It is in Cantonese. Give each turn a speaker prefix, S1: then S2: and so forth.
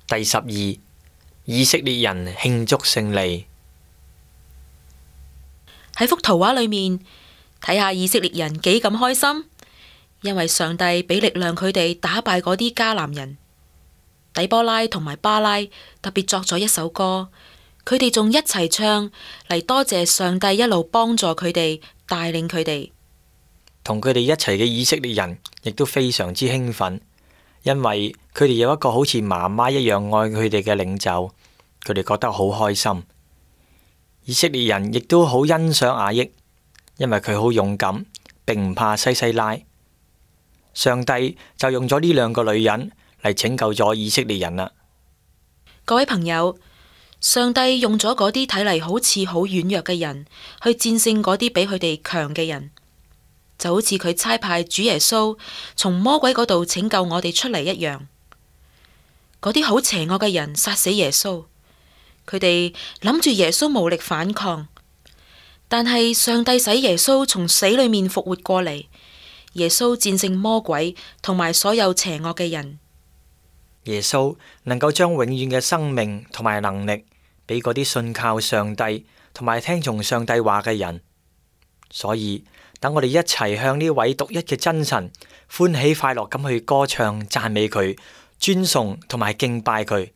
S1: 第12，以色列人慶祝勝利。
S2: 喺幅圖畫裏面睇下以色列人幾咁開心，因為上帝俾力量佢哋打敗嗰啲迦南人。底波拉同埋巴拉特別作咗一首歌，佢哋仲一齊唱嚟多謝上帝一路幫助佢哋，帶領佢哋。
S1: 同佢哋一齊嘅以色列人亦都非常之興奮，因為佢哋有一個好似媽媽一樣愛佢哋嘅領袖，佢哋覺得好開心。以色列人亦都好欣賞雅億，因為佢好勇敢，並唔怕西西拉。上帝就用咗呢兩個女人嚟拯救咗以色列人啦。
S2: 各位朋友，上帝用咗嗰啲睇嚟好似好軟弱嘅人去戰勝嗰啲比佢哋強嘅人，就好似佢差派主耶穌從魔鬼嗰度拯救我哋出嚟一樣。嗰啲好邪惡嘅人殺死耶穌，佢哋諗住耶穌無力反抗，但係上帝使耶穌從死裏面復活過嚟，耶穌戰勝魔鬼同埋所有邪惡嘅人。
S1: 耶穌能夠將永遠嘅生命同埋能力俾嗰啲信靠上帝同埋聽從上帝話嘅人，所以等我哋一齊向呢位獨一嘅真神歡喜快樂咁去歌唱讚美佢、尊崇同埋敬拜佢。